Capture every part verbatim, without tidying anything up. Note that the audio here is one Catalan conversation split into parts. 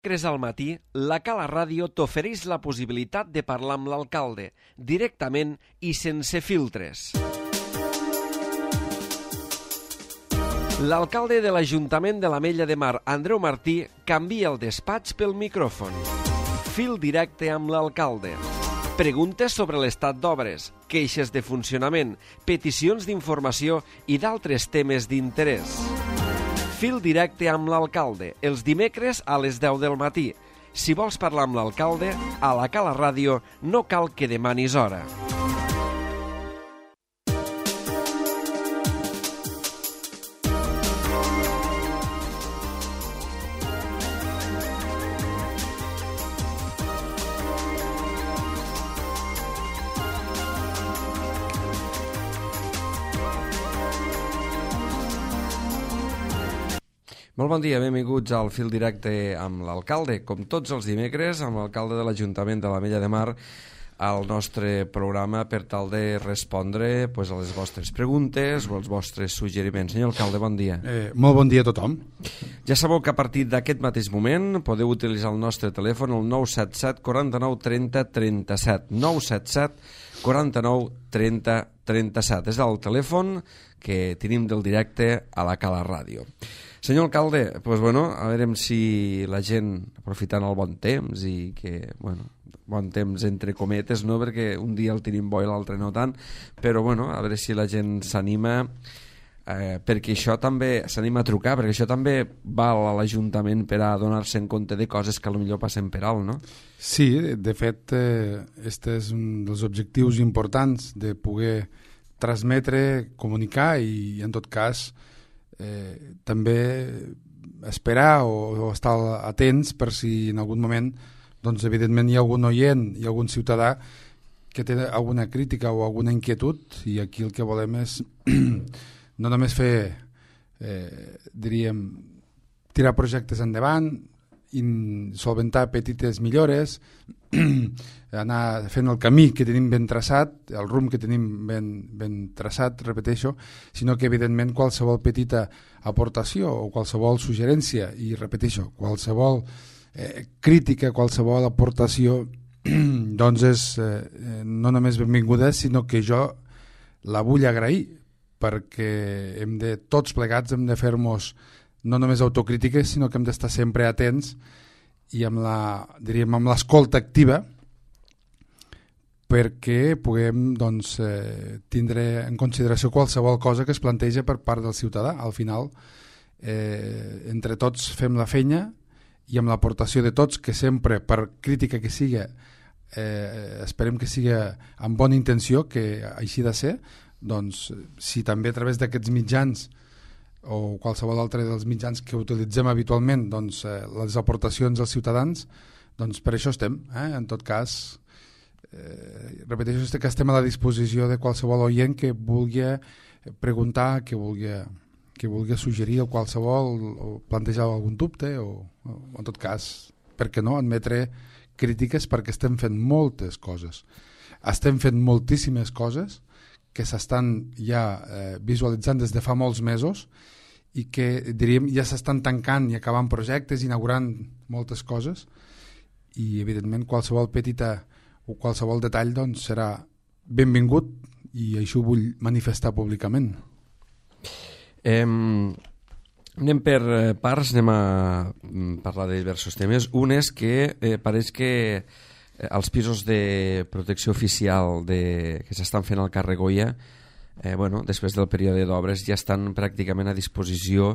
Dimecres al matí, la Cala Ràdio t'ofereix la possibilitat de parlar amb l'alcalde, directament i sense filtres. L'alcalde de l'Ajuntament de l'Ametlla de Mar, Andreu Martí, canvia el despatx pel micròfon. Fil directe amb l'alcalde. Preguntes sobre l'estat d'obres, queixes de funcionament, peticions d'informació i d'altres temes d'interès. Fil directe amb l'alcalde, els dimecres a les deu del matí. Si vols parlar amb l'alcalde, a la Cala Ràdio no cal que demanis hora. Molt bon dia, benvinguts al Fil Directe amb l'alcalde. Com tots els dimecres, amb l'alcalde de l'Ajuntament de l'Ametlla de Mar, al nostre programa per tal de respondre pues, a les vostres preguntes o als vostres suggeriments. Senyor alcalde, bon dia. Eh, molt bon dia a tothom. Ja sabeu que a partir d'aquest mateix moment podeu utilitzar el nostre telèfon, el nou set set, quaranta-nou, trenta, trenta-set. nou set set, quaranta-nou, trenta, trenta-set. És el telèfon que tenim del directe a la Cala Ràdio. Senyor alcalde, pues bueno, a veure si la gent, aprofitant el bon temps i que, bueno, bon temps entre cometes, no? Perquè un dia el tenim bo i l'altre no tant, però bueno, a veure si la gent s'anima, eh, perquè això també s'anima a trucar, perquè això també val a l'Ajuntament per a donar-se en compte de coses que potser passen per alt, no? Sí, de fet, eh, este és un dels objectius importants de poder transmetre, comunicar i, en tot cas, Eh, també esperar o, o estar atents per si en algun moment doncs evidentment hi ha algun oient, hi ha algun ciutadà que té alguna crítica o alguna inquietud, i aquí el que volem és no només fer eh, diríem tirar projectes endavant i solventar petites millores, anar fent el camí que tenim ben traçat, el rumb que tenim ben, ben traçat, repeteixo, sinó que evidentment qualsevol petita aportació o qualsevol suggerència, i repeteixo, qualsevol eh, crítica, qualsevol aportació doncs és eh, no només benvinguda, sinó que jo la vull agrair, perquè hem de, tots plegats hem de fer-nos no només autocrítiques, sinó que hem d'estar sempre atents i amb la, diríem, amb l'escolta activa, perquè puguem doncs, eh, tindre en consideració qualsevol cosa que es planteja per part del ciutadà. Al final, eh, entre tots fem la feina, i amb l'aportació de tots, que sempre, per crítica que siga, eh, esperem que siga amb bona intenció, que així de ser, doncs, si també a través d'aquests mitjans o qualsevol altre dels mitjans que utilitzem habitualment, doncs, eh, les aportacions als ciutadans, doncs per això estem. Eh? En tot cas, eh, repeteixo que estem a la disposició de qualsevol oient que vulgui preguntar, que vulgui, que vulgui suggerir qualsevol o plantejar algun dubte o, o en tot cas, per què no, admetre crítiques, perquè estem fent moltes coses. Estem fent moltíssimes coses que s'estan ja eh, visualitzant des de fa molts mesos i que diríem ja s'estan tancant i acabant projectes, inaugurant moltes coses, i evidentment qualsevol petita o qualsevol detall doncs, serà benvingut, i això ho vull manifestar públicament. Eh, anem per parts, anem a parlar de diversos temes. Un és que eh, pareix que els pisos de protecció oficial de, que s'estan fent al carrer Goya, eh, bueno, després del període d'obres ja estan pràcticament a disposició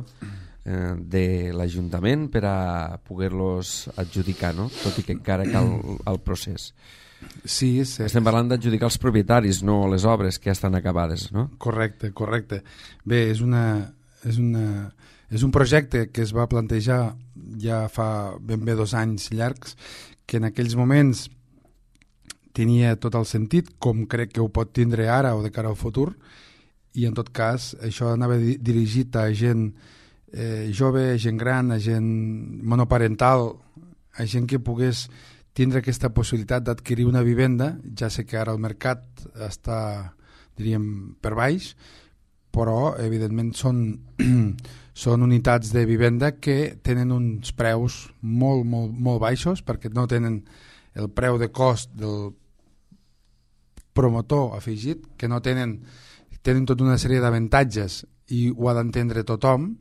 eh, de l'Ajuntament per a poder-los adjudicar, no? Tot i que encara cal el procés. Sí, sí. Estem parlant d'adjudicar els propietaris, no les obres que ja estan acabades, no? Correcte, correcte. Bé, és, una, és, una, és un projecte que es va plantejar ja fa ben bé dos anys llargs, que en aquells moments tenia tot el sentit, com crec que ho pot tindre ara o de cara al futur, i en tot cas això anava dirigit a gent eh, jove, a gent gran, a gent monoparental, a gent que pogués tindre aquesta possibilitat d'adquirir una vivenda. Ja sé que ara el mercat està, diríem, per baix, però evidentment són, són unitats de vivenda que tenen uns preus molt, molt, molt baixos, perquè no tenen el preu de cost del promotor afegit, que no tenen, tenen tota una sèrie d'avantatges i ho ha d'entendre tothom,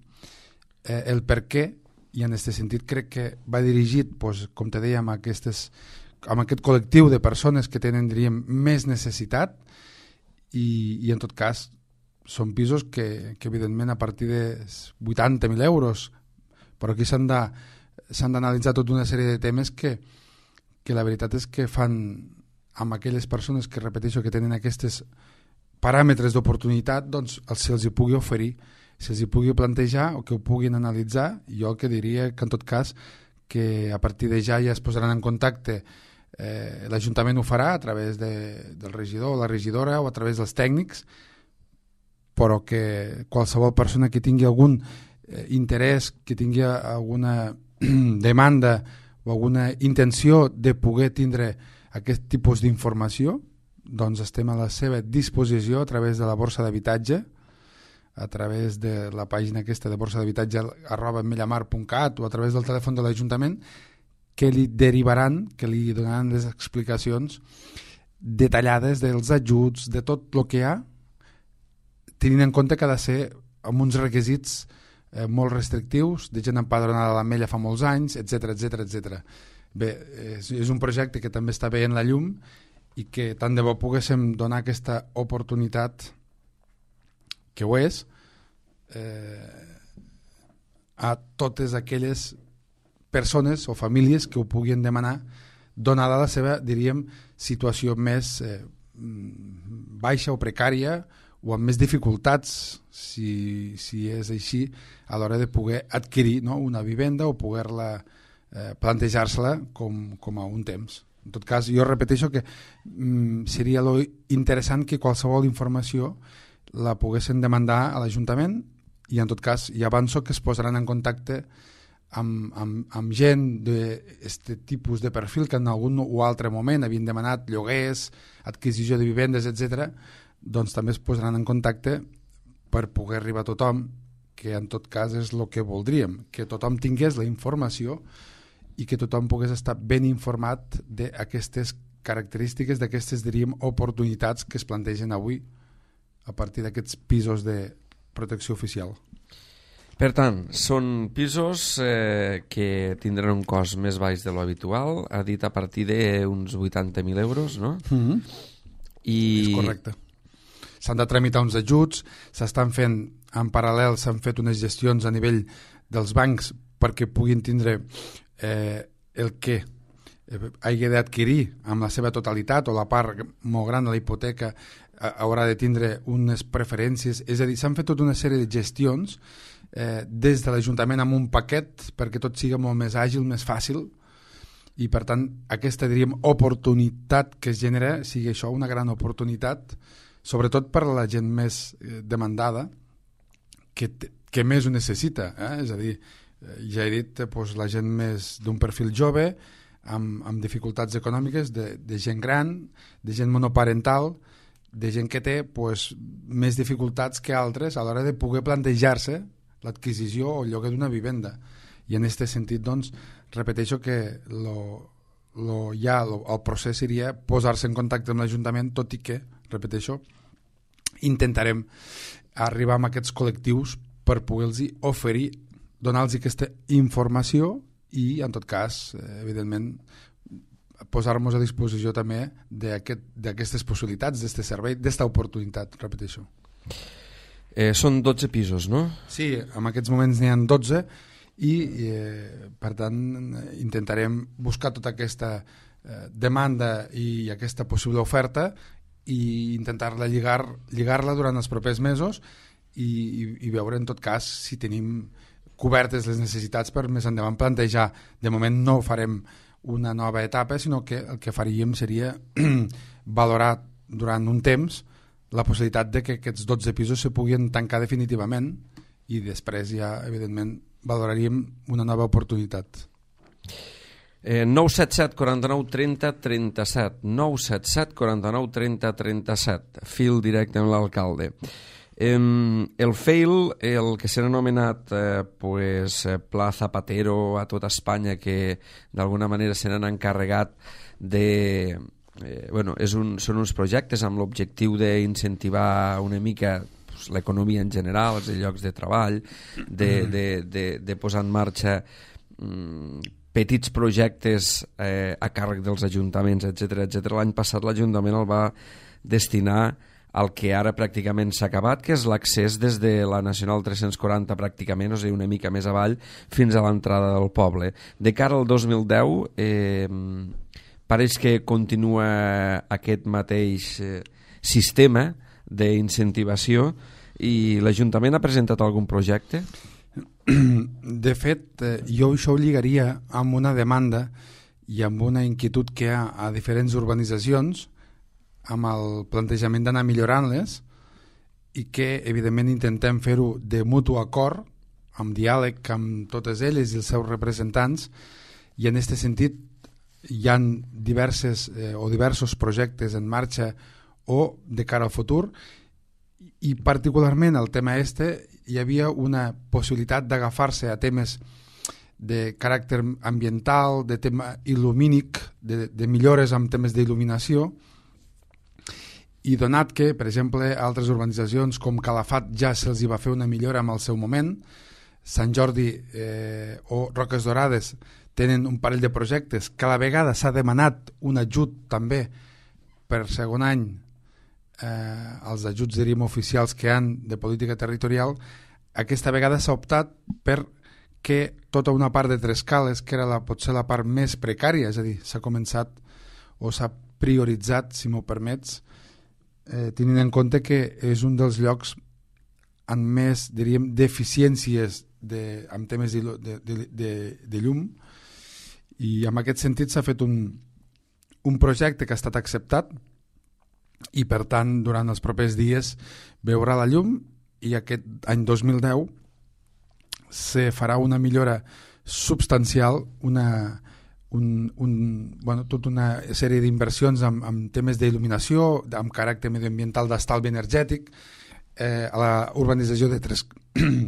eh, el per què, i en aquest sentit crec que va dirigit, doncs, com te deia, amb, aquestes, amb aquest col·lectiu de persones que tenen, diríem, més necessitat, i, i en tot cas són pisos que, que evidentment a partir de vuitanta mil euros, però aquí s'han de, s'han d'analitzar tota una sèrie de temes que, que la veritat és que fan amb aquelles persones que, repeteixo, que tenen aquests paràmetres d'oportunitat, doncs se'ls hi pugui oferir, se'ls hi pugui plantejar o que ho puguin analitzar. Jo el que diria que en tot cas que a partir de ja ja es posaran en contacte, eh, l'Ajuntament ho farà a través de, del regidor o la regidora o a través dels tècnics, però que qualsevol persona que tingui algun eh, interès, que tingui alguna demanda o alguna intenció de poder tindre aquest tipus d'informació, doncs estem a la seva disposició a través de la borsa d'habitatge, a través de la pàgina aquesta de borsa d'habitatge arroba mellamar punt cat o a través del telèfon de l'Ajuntament, que li derivaran, que li donaran les explicacions detallades dels ajuts, de tot el que hi ha, tenint en compte que ha de ser amb uns requisits eh, molt restrictius, de gent empadronada a l'Ametlla fa molts anys, etcètera, etcètera, etcètera. Bé, és, és un projecte que també està veient la llum i que tant de bo poguéssim donar aquesta oportunitat, que ho és, eh, a totes aquelles persones o famílies que ho puguin demanar, donada la seva, diríem, situació més eh, baixa o precària, o amb més dificultats, si, si és així, a l'hora de poder adquirir, no?, una vivenda o poder-la eh, plantejar-se-la com, com a un temps. En tot cas, jo repeteixo que mm, seria lo interessant que qualsevol informació la poguessin demandar a l'Ajuntament i en tot cas ja avanço que es posaran en contacte amb, amb, amb gent d'aquest tipus de perfil que en algun o altre moment havien demanat lloguers, adquisició de vivendes, etcètera, doncs també es posaran en contacte per poder arribar a tothom, que en tot cas és el que voldríem, que tothom tingués la informació i que tothom pogués estar ben informat d'aquestes característiques, d'aquestes, diríem, oportunitats que es plantegen avui a partir d'aquests pisos de protecció oficial. Per tant, són pisos eh, que tindran un cost més baix de lo habitual, ha dit a partir d'uns vuitanta mil euros, no? Mm-hmm. I... És correcte. S'han de tramitar uns ajuts, s'estan fent en paral·lel, s'han fet unes gestions a nivell dels bancs perquè puguin tindre eh, el que eh, hagi d'adquirir amb la seva totalitat o la part molt gran de la hipoteca eh, haurà de tindre unes preferències, és a dir, s'han fet tota una sèrie de gestions eh, des de l'Ajuntament amb un paquet perquè tot sigui molt més àgil, més fàcil, i per tant aquesta, diríem, oportunitat que es genera sigui això, una gran oportunitat, sobretot per a la gent més eh, demandada, que, que més ho necessita, eh? És a dir, eh, ja he dit, eh, doncs, la gent més d'un perfil jove, amb, amb dificultats econòmiques, de, de gent gran, de gent monoparental, de gent que té doncs, més dificultats que altres a l'hora de poder plantejar-se l'adquisició o el lloguer d'una vivenda. I en aquest sentit, doncs, repeteixo que lo, lo, ja lo, el procés seria posar-se en contacte amb l'Ajuntament, tot i que, repeteixo, intentarem arribar a aquests col·lectius per poder-los oferir, donar-los aquesta informació i, en tot cas, eh, evidentment, posar-nos a disposició també d'aquestes aquest, possibilitats, d'aquest servei, d'aquesta oportunitat, repeteixo. Eh, són dotze pisos, no? Sí, en aquests moments n'hi ha dotze i, eh, per tant, intentarem buscar tota aquesta eh, demanda i aquesta possible oferta i intentar-la lligar, lligar-la durant els propers mesos i, i, i veure, en tot cas, si tenim cobertes les necessitats per més endavant plantejar. De moment no farem una nova etapa, sinó que el que faríem seria valorar durant un temps la possibilitat de que aquests dotze pisos se puguin tancar definitivament i després ja, evidentment, valoraríem una nova oportunitat. Eh, nou set set, quaranta-nou, trenta, trenta-set nou set set, quaranta-nou, trenta, trenta-set fil directe amb l'alcalde. Eh, el fail, el que s'ha anomenat eh, pues, Pla Zapatero a tota Espanya, que d'alguna manera se n'han encarregat de... Eh, bueno, és un, són uns projectes amb l'objectiu d'incentivar una mica pues, l'economia en general, els llocs de treball, de, de, de, de posar en marxa mm, petits projectes eh, a càrrec dels ajuntaments, etcètera etcètera. L'any passat l'Ajuntament el va destinar al que ara pràcticament s'ha acabat, que és l'accés des de la Nacional tres-cents quaranta pràcticament, o sigui, una mica més avall, fins a l'entrada del poble. De cara al dos mil deu, eh, pareix que continua aquest mateix eh, sistema d'incentivació i l'Ajuntament ha presentat algun projecte? De fet, jo això ho lligaria amb una demanda i amb una inquietud que hi ha a diferents urbanitzacions amb el plantejament d'anar millorant-les i que, evidentment, intentem fer-ho de mutu acord, amb diàleg amb totes elles i els seus representants, i en aquest sentit hi ha diverses eh, o diversos projectes en marxa o de cara al futur, i particularment el tema este hi havia una possibilitat d'agafar-se a temes de caràcter ambiental, de tema il·lumínic, de, de millores amb temes d'il·luminació, i donat que, per exemple, altres urbanitzacions com Calafat ja se'ls hi va fer una millora en el seu moment, Sant Jordi eh, o Roques Dorades tenen un parell de projectes que a la vegada s'ha demanat un ajut també per segon any, eh, els ajuts diríem oficials que han de política territorial. Aquesta vegada s'ha optat per que tota una part de Trescales, que era la, potser la part més precària, és a dir, s'ha començat o s'ha prioritzat, si m'ho permets, eh, tenint en compte que és un dels llocs amb més, diríem, deficiències de, amb temes de, de, de, de llum, i en aquest sentit s'ha fet un, un projecte que ha estat acceptat i per tant durant els propers dies veurà la llum, i aquest any dos mil deu se farà una millora substancial, una, un, un, bueno, tota una sèrie d'inversions amb, amb temes d'il·luminació, amb caràcter medioambiental, d'estalvi energètic, eh, a la urbanització de tres,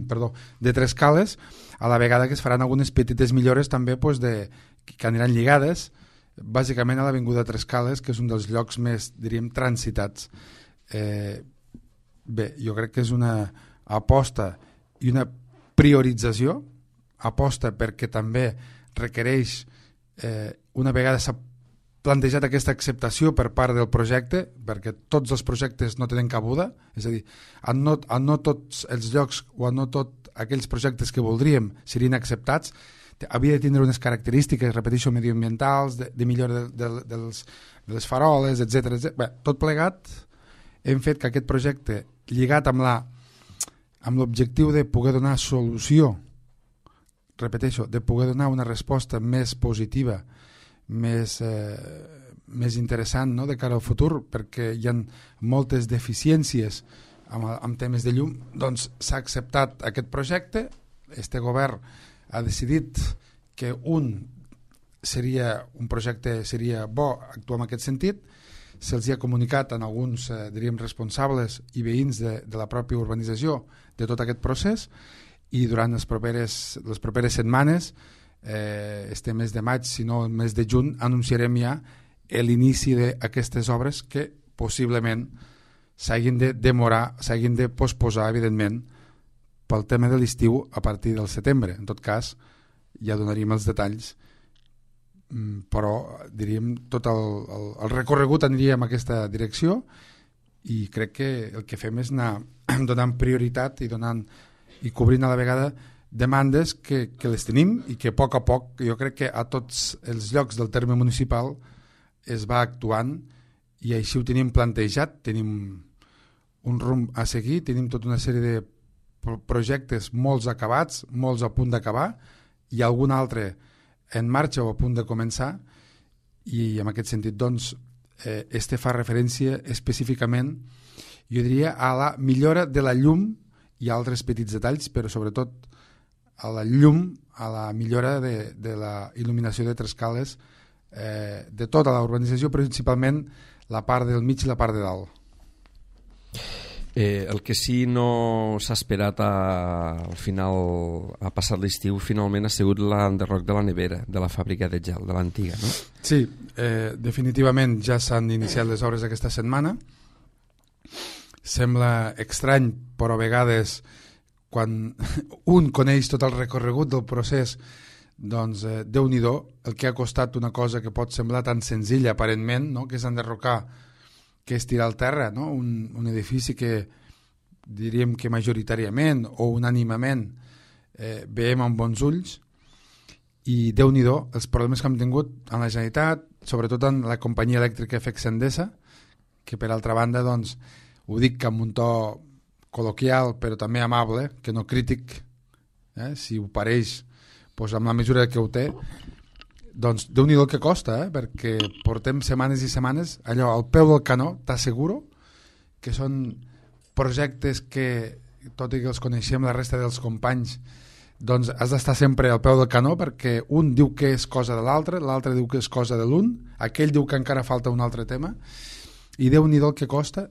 perdó, de Trescales, a la vegada que es faran algunes petites millores també pues, de, que aniran lligades bàsicament a l'avinguda Trescales, que és un dels llocs més, diríem, transitats. Eh, bé, jo crec que és una aposta i una priorització, aposta perquè també requereix, eh, una vegada s'ha plantejat aquesta acceptació per part del projecte, perquè tots els projectes no tenen cabuda, és a dir, a no, a no tots els llocs o a no tots aquells projectes que voldríem serien acceptats, havia de tindre unes característiques, repeteixo, medioambientals, de, de millora de, de, de, les, de les faroles, etcètera. Bé, tot plegat, hem fet que aquest projecte, lligat amb la amb l'objectiu de poder donar solució, repeteixo, de poder donar una resposta més positiva, més, eh, més interessant, no?, de cara al futur, perquè hi ha moltes deficiències amb, amb temes de llum, doncs s'ha acceptat aquest projecte. Este govern ha decidit que un seria un projecte seria bo actuar en aquest sentit. Se'ls ha comunicat a alguns, eh, diríem, responsables i veïns de, de la pròpia urbanització de tot aquest procés, i durant les properes, les properes setmanes, eh, este mes de maig, si no el mes de juny, anunciarem ja l'inici d'aquestes obres que possiblement s'hagin de demorar, s'hagin de posposar, evidentment, pel tema de l'estiu a partir del setembre. En tot cas, ja donaríem els detalls, però diríem tot el, el, el recorregut aniria en aquesta direcció, i crec que el que fem és anar donant prioritat i donant i cobrint a la vegada demandes que, que les tenim, i que a poc a poc jo crec que a tots els llocs del terme municipal es va actuant, i així ho tenim plantejat. Tenim un rumb a seguir, tenim tota una sèrie de projectes, molts acabats, molts a punt d'acabar, i algun altre en marxa o a punt de començar, i en aquest sentit doncs eh, este fa referència específicament, jo diria, a la millora de la llum i altres petits detalls, però sobretot a la llum, a la millora de, de la il·luminació de Trescales, eh, de tota la urbanització, principalment la part del mig i la part de dalt. Eh, el que sí no s'ha esperat a, al final, a passar l'estiu, finalment ha sigut l'enderroc de la nevera, de la fàbrica de gel, de l'antiga, no? Sí, eh, definitivament ja s'han iniciat les obres aquesta setmana. Sembla estrany, però a vegades quan un coneix tot el recorregut del procés, doncs eh, Déu-n'hi-do el que ha costat una cosa que pot semblar tan senzilla aparentment, no? Que és enderrocar, que és tirar al terra, no? un, un edifici que diríem que majoritàriament o unànimament eh, veiem amb bons ulls, i Déu-n'hi-do els problemes que hem tingut en la Generalitat, sobretot en la companyia elèctrica F E C Endesa, que per altra banda, doncs, ho dic amb un to col·loquial però també amable, que no crític, eh? Si ho pareix, doncs amb la mesura que ho té, doncs Déu-n'hi-do el que costa, eh? Perquè portem setmanes i setmanes allò al peu del canó, t'asseguro que són projectes que, tot i que els coneixem la resta dels companys, doncs has d'estar sempre al peu del canó, perquè un diu que és cosa de l'altre, l'altre diu que és cosa de l'un, aquell diu que encara falta un altre tema, i Déu-n'hi-do el que costa,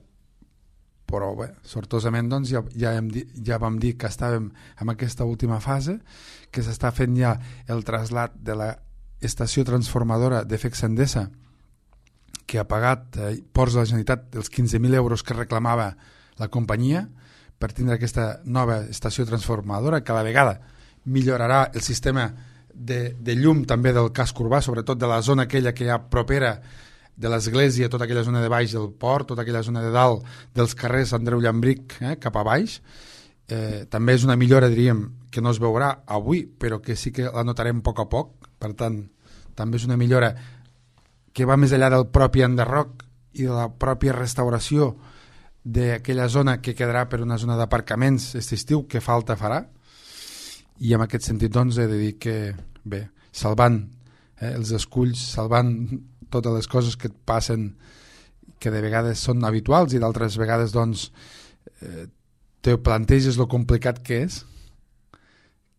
però bé, sortosament doncs, ja, ja, hem dit, ja vam dir que estàvem en aquesta última fase, que s'està fent ja el trasllat de la estació transformadora de F E C Endesa, que ha pagat eh, Ports de la Generalitat els quinze mil euros que reclamava la companyia per tindre aquesta nova estació transformadora, que a la vegada millorarà el sistema de, de llum també del casc urbà, sobretot de la zona aquella que hi ha propera de l'església, tota aquella zona de baix del port, tota aquella zona de dalt dels carrers Andreu Llambric, eh, cap a baix. Eh, també és una millora, diríem, que no es veurà avui, però que sí que la notarem a poc a poc. Per tant, també és una millora que va més enllà del propi enderroc i de la pròpia restauració d'aquella zona que quedarà per una zona d'aparcaments aquest estiu, que falta farà. I en aquest sentit, doncs, he de dir que, bé, salvant eh, els esculls, salvant totes les coses que et passen, que de vegades són habituals i d'altres vegades, doncs, eh, te planteges lo complicat que és,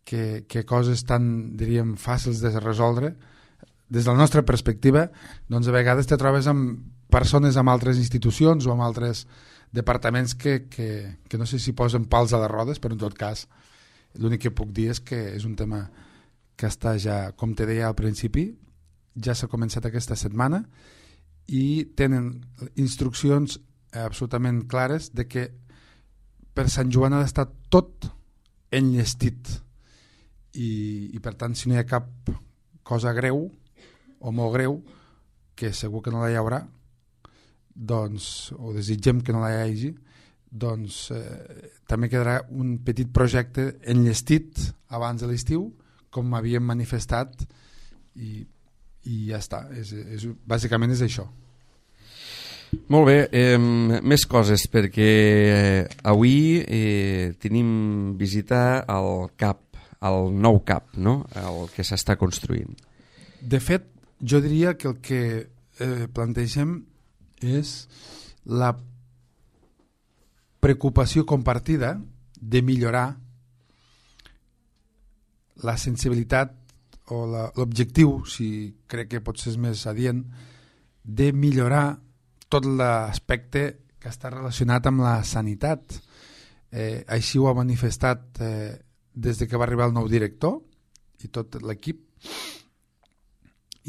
que, que coses tan, diríem, fàcils de resoldre, des de la nostra perspectiva, doncs a vegades te trobes amb persones amb altres institucions o amb altres departaments que, que, que no sé si posen pals a les rodes, però en tot cas l'únic que puc dir és que és un tema que està ja, com te deia al principi, ja s'ha començat aquesta setmana i tenen instruccions absolutament clares de que per Sant Joan ha d'estar tot enllestit i, i per tant, si no hi ha cap cosa greu o molt greu, que segur que no la hi haurà, doncs, o desitgem que no la hi hagi, doncs eh, també quedarà un petit projecte enllestit abans de l'estiu, com havíem manifestat, i, i ja està. És, és, bàsicament és això. Molt bé, eh, més coses, perquè eh, avui eh, tenim visita al C A P, al nou C A P, no? El que s'està construint. De fet, jo diria que el que eh, plantegem és la preocupació compartida de millorar la sensibilitat o l'objectiu, si crec que potser és més adient, de millorar tot l'aspecte que està relacionat amb la sanitat. Eh, així ho ha manifestat eh, des de que va arribar el nou director i tot l'equip,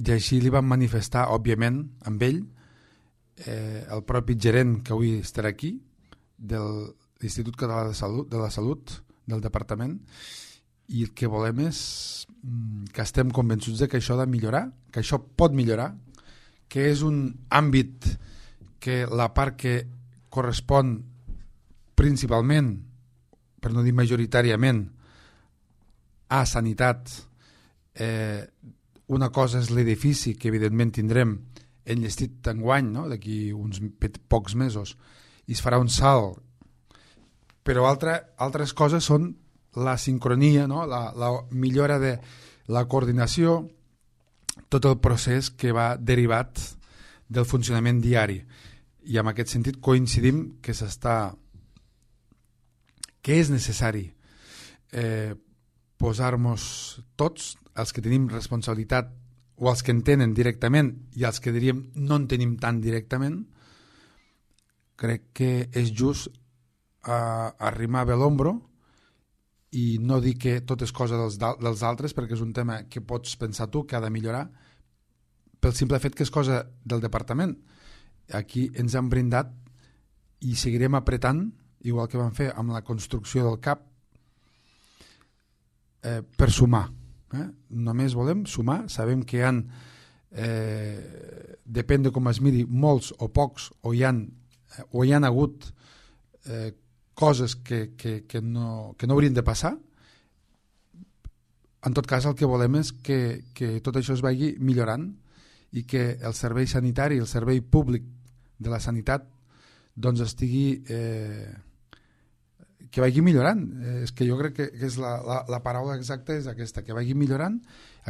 i així li van manifestar, òbviament, amb ell, eh, el propi gerent que avui estarà aquí, de l'Institut Català de Salut, de la Salut, del departament, i el que volem és que estem convençuts de que això ha de millorar, que això pot millorar, que és un àmbit que la part que correspon principalment, per no dir majoritàriament, a sanitat, eh, una cosa és l'edifici, que evidentment tindrem enllestit enguany, no? D'aquí uns pocs mesos, i es farà un salt, però altre, altres coses són la sincronia, no? la, la millora de la coordinació, tot el procés que va derivat del funcionament diari. I en aquest sentit coincidim que s'està, que és necessari eh, posar-nos tots, els que tenim responsabilitat o els que en tenen directament i els que diríem no en tenim tan directament, crec que és just a arrimar bé l'ombro i no dir que tot és cosa dels, dels altres, perquè és un tema que pots pensar tu que ha de millorar pel simple fet que és cosa del departament. Aquí ens han brindat i seguirem apretant, igual que vam fer amb la construcció del C A P, eh, per sumar. Eh? Només volem sumar, sabem que hi ha, eh, depèn de com es miri, molts o pocs, o hi ha, o hi ha hagut eh, coses que, que, que, no, que no haurien de passar. En tot cas, el que volem és que, que tot això es vagi millorant i que el servei sanitari, el servei públic de la sanitat, doncs estigui... Eh, que vagi millorant. Eh, és que jo crec que, que és la, la, la paraula exacta és aquesta, que vagi millorant.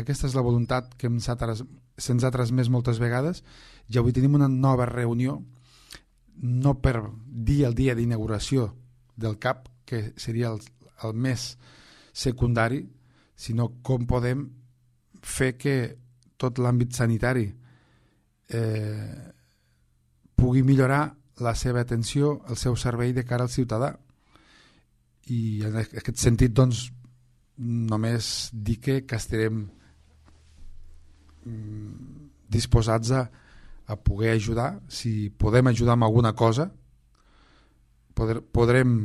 Aquesta és la voluntat que se'ns ha transmès moltes vegades i avui tenim una nova reunió, no per dir el dia d'inauguració del C A P, que seria el, el més secundari, sinó com podem fer que tot l'àmbit sanitari eh, pugui millorar la seva atenció, el seu servei de cara al ciutadà. I en aquest sentit, doncs, només dir que, que estarem disposats a, a poder ajudar. Si podem ajudar amb alguna cosa, poder, podrem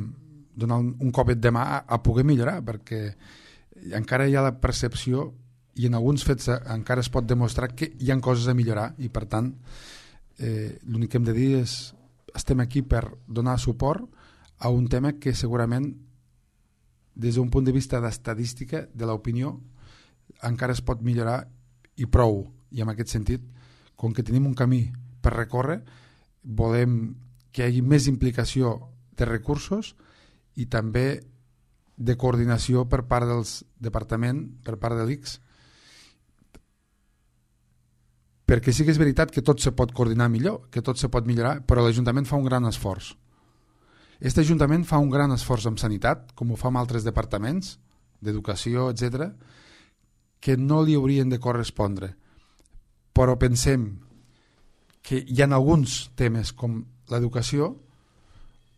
donar un, un copet de mà a, a poder millorar, perquè encara hi ha la percepció i en alguns fets encara es pot demostrar que hi ha coses a millorar i, per tant, eh, l'únic que hem de dir és estem aquí per donar suport a un tema que segurament des d'un punt de vista d'estadística de l'opinió encara es pot millorar i prou, i en aquest sentit, com que tenim un camí per recórrer, volem que hi hagi més implicació de recursos i també de coordinació per part dels departaments, per part de l'I C S, perquè sí que és veritat que tot se pot coordinar millor, que tot se pot millorar, però l'Ajuntament fa un gran esforç. Aquest Ajuntament fa un gran esforç en sanitat, com ho fa amb altres departaments, d'educació, etcètera, que no li haurien de correspondre. Però pensem que hi ha alguns temes com l'educació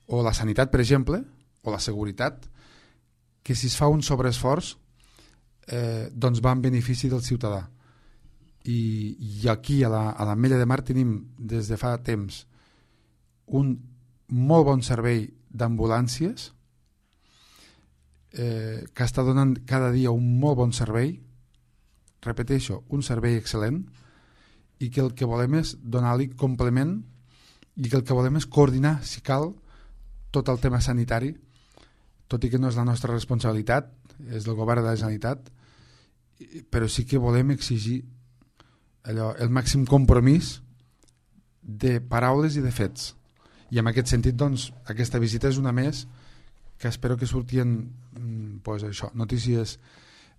o la sanitat, per exemple, o la seguretat, que si es fa un sobreesforç eh, doncs va en benefici del ciutadà. I, i aquí a la, a l'Ametlla de Mar tenim des de fa temps un molt bon servei d'ambulàncies eh, que està donant cada dia un molt bon servei, repeteixo, un servei excel·lent, i que el que volem és donar-li complement i que el que volem és coordinar, si cal, tot el tema sanitari, tot i que no és la nostra responsabilitat, és del govern de la Generalitat, però sí que volem exigir allò, el màxim compromís de paraules i de fets. I en aquest sentit, doncs, aquesta visita és una més que espero que surtien pues, això, notícies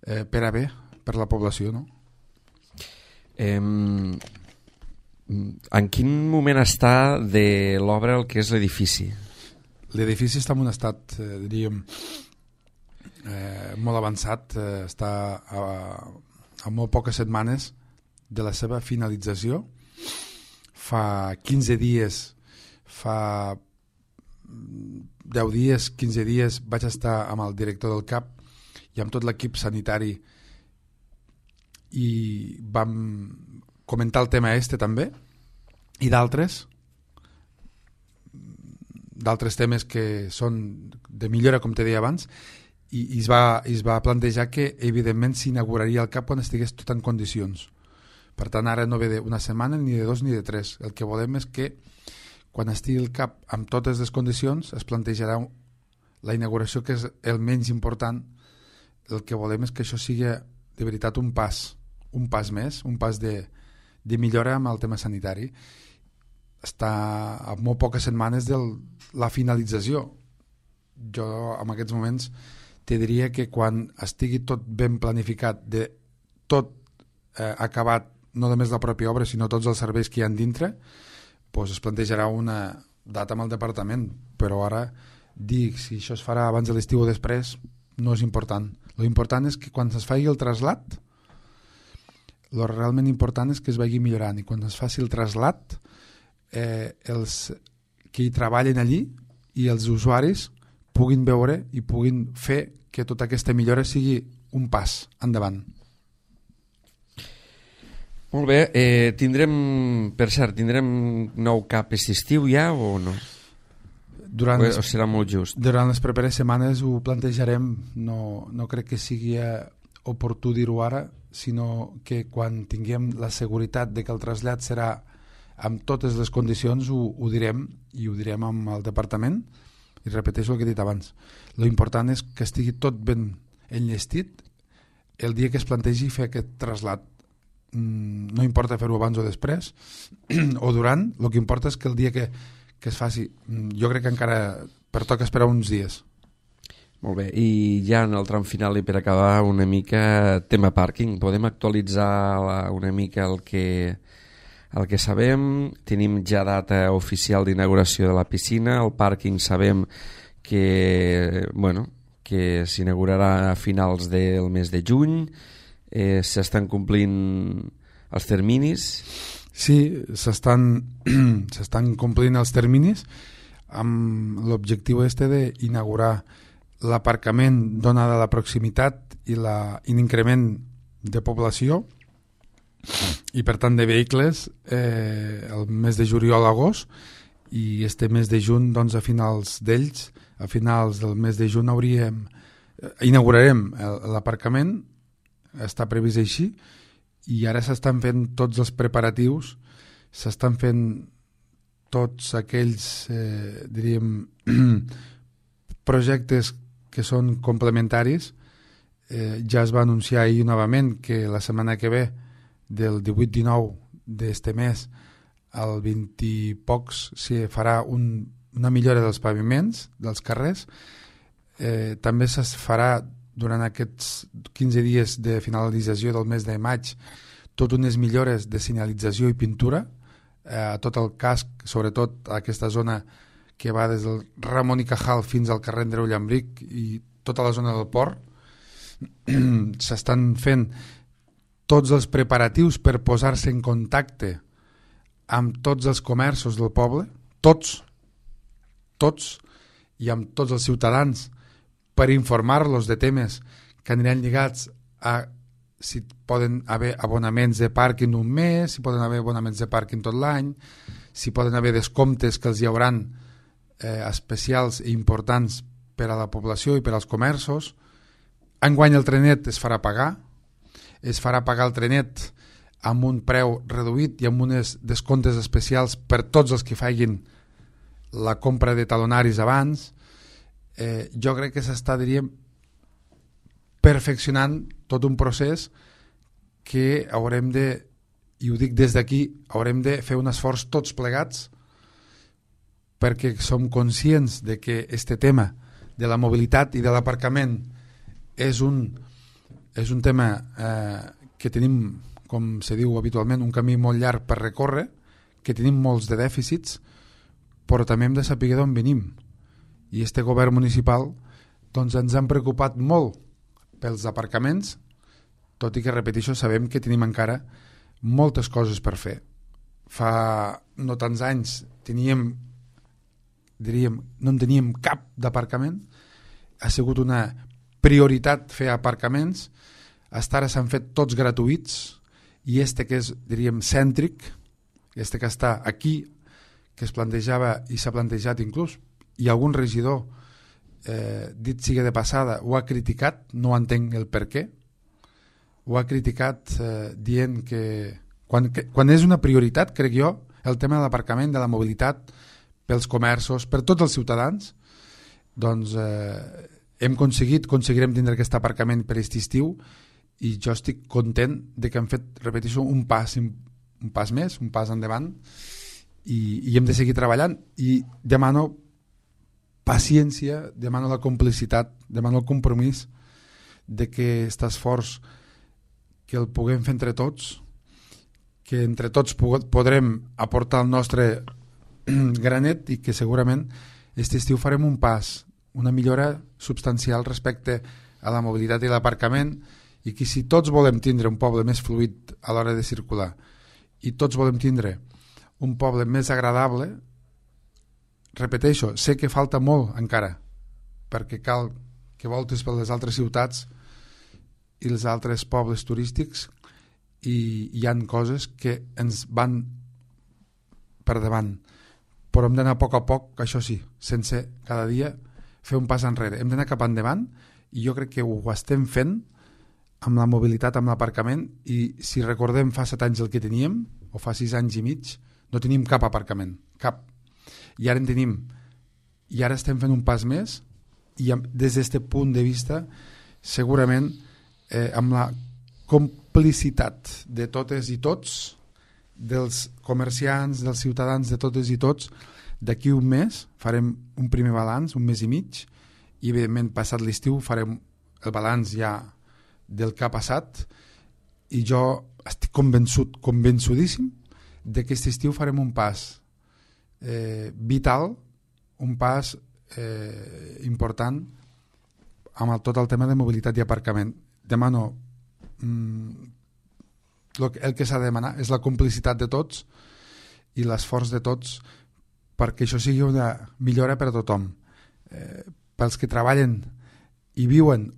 eh, per a bé per la població, no? Eh, en quin moment està de l'obra el que és l'edifici? L'edifici està en un estat, eh, diríem, eh, molt avançat, eh, està a, a molt poques setmanes de la seva finalització. Fa quinze dies fa deu dies, quinze dies vaig estar amb el director del C A P i amb tot l'equip sanitari i vam comentar el tema este també i d'altres d'altres temes que són de millora, com te deia abans, i, i es, va, es va plantejar que evidentment s'inauguraria el C A P quan estigués tot en condicions. Per tant, ara no ve d'una setmana, ni de dos, ni de tres. El que volem és que quan estigui el C A P amb totes les condicions es plantejarà la inauguració, que és el menys important. El que volem és que això sigui de veritat un pas, un pas més, un pas de, de millora amb el tema sanitari. Està a molt poques setmanes de la finalització. Jo en aquests moments te diria que quan estigui tot ben planificat, de tot eh, acabat, no només la pròpia obra sinó tots els serveis que hi ha dintre, pues es plantejarà una data amb el departament, però ara dir si això es farà abans de l'estiu o després no és important. Lo important és que quan es faci el trasllat, lo realment important és que es vagi millorant, i quan es faci el trasllat eh, els que hi treballen allí i els usuaris puguin veure i puguin fer que tota aquesta millora sigui un pas endavant. Molt bé, eh, tindrem, per cert, tindrem nou cap aquest estiu ja o no? Durant o, les, o serà molt just? Durant les properes setmanes ho plantejarem, no, no crec que sigui oportú dir-ho ara, sinó que quan tinguem la seguretat de que el trasllat serà amb totes les condicions ho, ho direm, i ho direm amb el departament, i repeteixo el que he dit abans. Lo important és que estigui tot ben enllestit el dia que es plantegi fer aquest trasllat. No importa fer-ho abans o després o durant, el que importa és que el dia que, que es faci, jo crec que encara pertoca esperar uns dies. Molt bé, i ja en el tram final i per acabar una mica tema pàrquing, podem actualitzar una mica el que, el que sabem? Tenim ja data oficial d'inauguració de la piscina, el pàrquing sabem que, bueno, que s'inaugurarà a finals del mes de juny. Eh, s'estan complint els terminis? Sí, s'estan s'estan complint els terminis amb l'objectiu este d'inaugurar l'aparcament donada la proximitat i l'increment de població i per tant de vehicles eh, el mes de juliol a agost, i este mes de juny, doncs, a finals d'ells, a finals del mes de juny hauríem, eh, inaugurarem l'aparcament. Està previst així, i ara s'estan fent tots els preparatius, s'estan fent tots aquells eh, diríem projectes que són complementaris. Eh, ja es va anunciar ahir novament que la setmana que ve, del divuit dinou d'este mes al vint i pocs, s'hi farà un, una millora dels paviments dels carrers. Eh, també es farà durant aquests quinze dies de finalització del mes de maig tot unes millores de senyalització i pintura eh, a tot el casc, sobretot a aquesta zona que va des del Ramon i Cajal fins al carrer Andreu Llambric i tota la zona del port. S'estan fent tots els preparatius per posar-se en contacte amb tots els comerços del poble, tots, tots, i amb tots els ciutadans, per informar-los de temes que aniran lligats a si poden haver abonaments de pàrquing un mes, si poden haver abonaments de pàrquing tot l'any, si poden haver descomptes que els hi hauran eh, especials i importants per a la població i per als comerços. Enguany el trenet es farà pagar, es farà pagar el trenet amb un preu reduït i amb uns descomptes especials per tots els que facin la compra de talonaris abans. Eh, jo crec que s'està, diríem, perfeccionant tot un procés que haurem de, i ho dic des d'aquí, haurem de fer un esforç tots plegats, perquè som conscients de que este tema de la mobilitat i de l'aparcament és un, és un tema eh, que tenim, com se diu habitualment, un camí molt llarg per recórrer, que tenim molts de dèficits, però també hem de saber d'on venim. I este govern municipal, doncs, ens han preocupat molt pels aparcaments, tot i que, repeteixo, sabem que tenim encara moltes coses per fer. Fa no tants anys teníem, diríem, no en teníem cap d'aparcament, ha sigut una prioritat fer aparcaments, hasta ara s'han fet tots gratuïts, i este que és, diríem, cèntric, este que està aquí, que es plantejava i s'ha plantejat inclús, i algun regidor, eh, dit sigui de passada, ho ha criticat, no entenc el per què, ho ha criticat eh, dient que quan, que quan és una prioritat, crec jo, el tema de l'aparcament, de la mobilitat, pels comerços, per tots els ciutadans, doncs eh, hem aconseguit, aconseguirem tindre aquest aparcament per aquest estiu, i jo estic content de que hem fet, repeteixo, un pas, un pas més, un pas endavant, i, i hem de seguir treballant, i demano paciència, demano la complicitat, demano el compromís de que aquest esforç que el puguem fer entre tots, que entre tots podrem aportar el nostre granet i que segurament aquest estiu farem un pas, una millora substancial respecte a la mobilitat i l'aparcament, i que si tots volem tindre un poble més fluid a l'hora de circular i tots volem tindre un poble més agradable, repeteixo, sé que falta molt encara, perquè cal que voltes per les altres ciutats i els altres pobles turístics i hi han coses que ens van per davant, però hem d'anar a poc a poc, això sí, sense cada dia fer un pas enrere, hem d'anar cap endavant i jo crec que ho estem fent amb la mobilitat, amb l'aparcament, i si recordem fa set anys el que teníem, o fa sis anys i mig, no teníem cap aparcament, cap, i ara en tenim, i ara estem fent un pas més, i des d'aquest punt de vista segurament eh, amb la complicitat de totes i tots, dels comerciants, dels ciutadans, de totes i tots, d'aquí un mes farem un primer balanç, un mes i mig, i evidentment passat l'estiu farem el balanç ja del que ha passat, i jo estic convençut, convençudíssim de que aquest estiu farem un pas eh, vital, un pas eh, important amb el, tot el tema de mobilitat i aparcament. Demano mm, el, el que s'ha de demanar és la complicitat de tots i l'esforç de tots perquè això sigui una millora per a tothom, eh, pels que treballen i viuen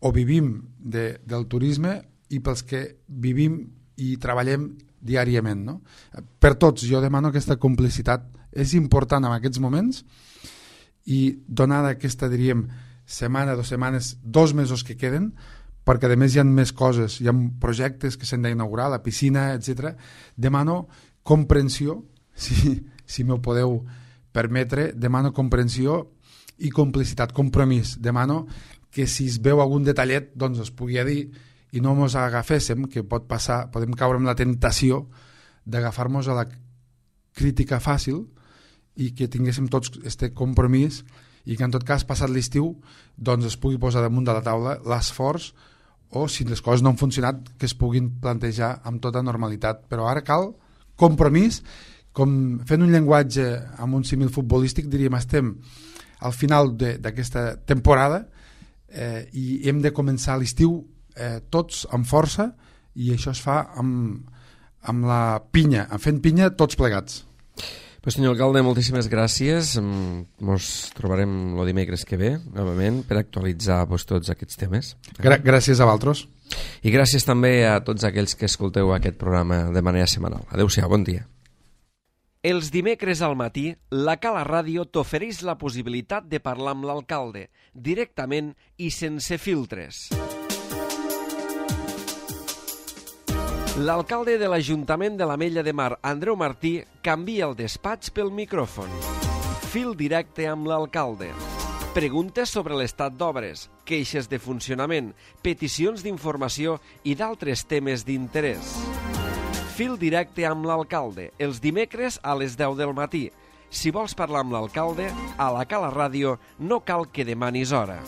o vivim de, del turisme i pels que vivim i treballem diàriament, no? Per tots jo demano aquesta complicitat, és important en aquests moments, i donada aquesta, diríem, setmana, dues setmanes, dos mesos que queden, perquè a més hi ha més coses, hi ha projectes que s'han d'inaugurar, la piscina, etcètera. Demano comprensió, si, si m'ho podeu permetre, demano comprensió i complicitat, compromís. Demano que si es veu algun detallet, doncs es pugui dir i no ens agaféssim, que pot passar, podem caure en la tentació d'agafar-nos a la crítica fàcil i que tinguéssim tots aquest compromís i que en tot cas, passat l'estiu, doncs es pugui posar damunt de la taula l'esforç o, si les coses no han funcionat, que es puguin plantejar amb tota normalitat. Però ara cal compromís, com fent un llenguatge amb un símil futbolístic, diríem, estem al final d'aquesta temporada eh, i hem de començar l'estiu eh, tots amb força, i això es fa amb, amb la pinya, fent pinya tots plegats. Pues, senyor alcalde, moltíssimes gràcies. Ens trobarem el dimecres que ve, novament, per actualitzar pues, tots aquests temes. Gra- gràcies a vosaltres. I gràcies també a tots aquells que escolteu aquest programa de manera setmanal. Adéu-siau, bon dia. Els dimecres al matí, la Cala Ràdio t'ofereix la possibilitat de parlar amb l'alcalde, directament i sense filtres. L'alcalde de l'Ajuntament de l'Ametlla de Mar, Andreu Martí, canvia el despatx pel micròfon. Fil directe amb l'alcalde. Preguntes sobre l'estat d'obres, queixes de funcionament, peticions d'informació i d'altres temes d'interès. Fil directe amb l'alcalde, els dimecres a les deu del matí. Si vols parlar amb l'alcalde, a la Cala Ràdio no cal que demanis hora.